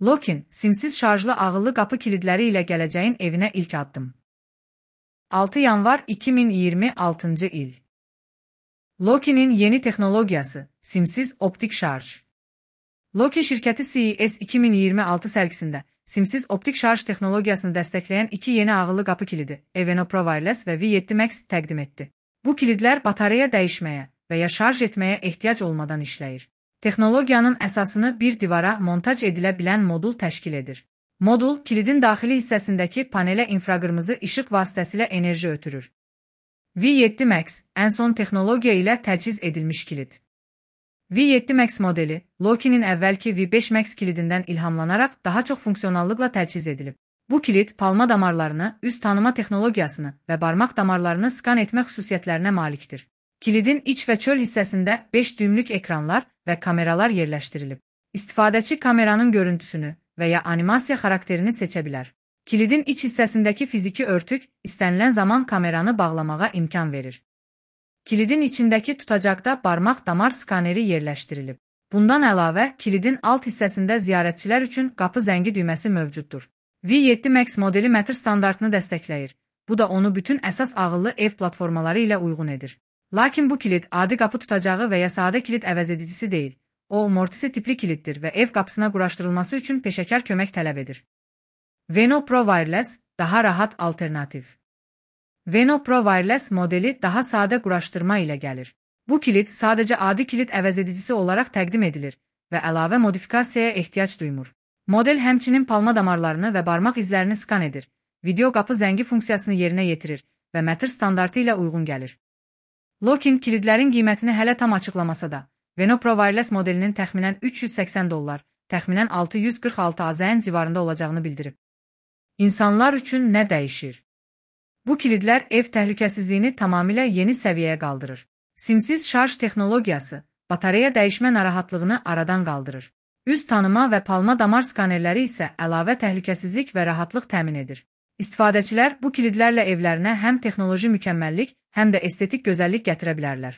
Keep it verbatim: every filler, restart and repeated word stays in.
Lokin, simsiz şarjlı ağıllı qapı kilidləri ilə gələcəyin evinə ilk addım. altı yanvar iki min iyirmi altıncı il. Lokin'in yeni texnologiyası, simsiz optik şarj. Lokin şirkəti C E S iki min iyirmi altı sərgisində simsiz optik şarj texnologiyasını dəstəkləyən iki yeni ağıllı qapı kilidi, Eveno Pro Wireless və V yeddi Max təqdim etdi. Bu kilidlər batareya dəyişməyə və ya şarj etməyə ehtiyac olmadan işləyir. Texnologiyanın əsasını bir divara montaj edilə bilən modul təşkil edir. Modul, kilidin daxili hissəsindəki panelə infraqırmızı işıq vasitəsilə enerji ötürür. V yeddi Max, ən son texnologiya ilə təchiz edilmiş kilid. V yeddi Max modeli, Lokin'in əvvəlki V beş Max kilidindən ilhamlanaraq daha çox funksionallıqla təchiz edilib. Bu kilid, palma damarlarını, üz tanıma texnologiyasını və barmaq damarlarını skan etmə xüsusiyyətlərinə malikdir. Kilidin iç və çöl hissəsində beş düymlük ekranlar və kameralar yerləşdirilib. İstifadəçi kameranın görüntüsünü və ya animasiya xarakterini seçə bilər. Kilidin iç hissəsindəki fiziki örtük, istənilən zaman kameranı bağlamağa imkan verir. Kilidin içindəki tutacaqda barmaq damar skaneri yerləşdirilib. Bundan əlavə, kilidin alt hissəsində ziyarətçilər üçün qapı zəngi düyməsi mövcuddur. V yeddi Max modeli metr standartını dəstəkləyir. Bu da onu bütün əsas ağıllı ev platformaları ilə uyğun edir. Lakin bu kilid adi qapı tutacağı və ya sadə kilid əvəzedicisi deyil. O, mortisi tipli kiliddir və ev qapısına quraşdırılması üçün peşəkar kömək tələb edir. Eveno Pro Wireless, daha rahat alternativ. Eveno Pro Wireless modeli daha sadə quraşdırma ilə gəlir. Bu kilid sadəcə adi kilid əvəzedicisi olaraq təqdim edilir və əlavə modifikasiyaya ehtiyac duymur. Model həmçinin palma damarlarını və barmaq izlərini skan edir, video qapı zəngi funksiyasını yerinə yetirir və metr standartı ilə uyğun gəlir. Lokin kilidlərin qiymətini hələ tam açıqlamasa da, Eveno Pro Wireless modelinin təxminən üç yüz səksən dollar, təxminən altı yüz qırx altı AZN civarında olacağını bildirib. İnsanlar üçün nə dəyişir? Bu kilidlər ev təhlükəsizliyini tamamilə yeni səviyyəyə qaldırır. Simsiz şarj texnologiyası, batareya dəyişmə narahatlığını aradan qaldırır. Üz tanıma və palma damar skanerləri isə əlavə təhlükəsizlik və rahatlıq təmin edir. İstifadəçilər bu kilidlərlə evlərinə həm texnoloji mükəmməllik, həm də estetik gözəllik gətirə bilərlər.